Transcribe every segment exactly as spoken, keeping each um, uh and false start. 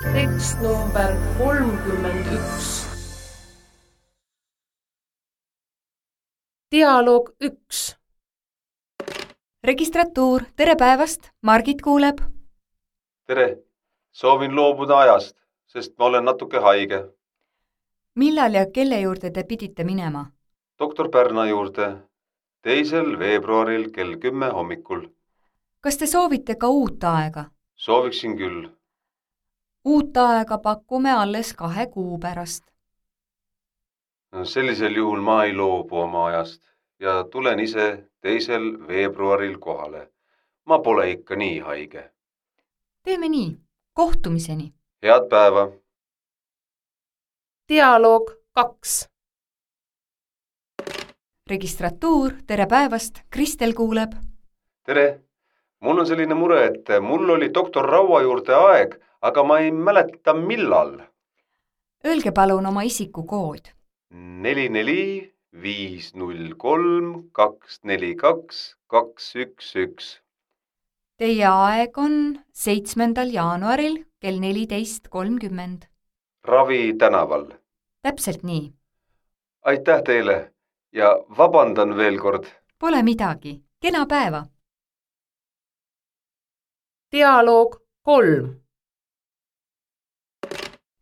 tekst number kolmkümmend üks. Dialoog üks. Registratuur, tere päevast, Margit kuuleb. Tere, soovin loobuda ajast, sest ma olen natuke haige. Millal ja kelle juurde te pidite minema? doktor Pärna juurde, teisel veebruaril kell kümme hommikul. Kas te soovite ka uut aega? Sooviksin küll. Uut aega pakume alles kahe kuu pärast. Sellisel juhul ma ei loobu oma ajast ja tulen ise teisel veebruaril kohale. Ma pole ikka nii haige. Teeme nii, kohtumiseni. Head päeva. Dialoog kaks. Registratuur, tere päevast, Kristel kuuleb. Tere, mul on selline mure, et mul oli doktor Raua juurde aeg, aga ma ei mäleta millal. Öelge palun oma isikukood. neli neli viis null kolm kaks neli kaks kaks üks üks. Teie aeg on seitsmendal jaanuaril kell neliteist kolmkümmend. Ravi tänaval. Täpselt nii. Aitäh teile ja vabandan veel kord. Pole midagi. Kena päeva. Dialoog kolm.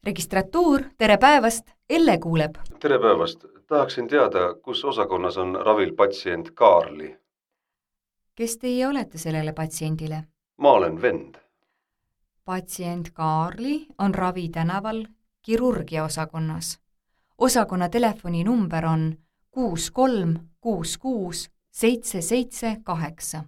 Registratuur, tere päevast, Elle kuuleb. Tere päevast. Tahaksin teada, kus osakonnas on ravil patsient Kaarli. Kes teie olete sellele patsiendile? Ma olen vend. Patsient Kaarli on Ravi tänaval kirurgia osakonnas. Osakonna telefoninumber on kuus kolm kuus kuus seitse seitse kaheksa.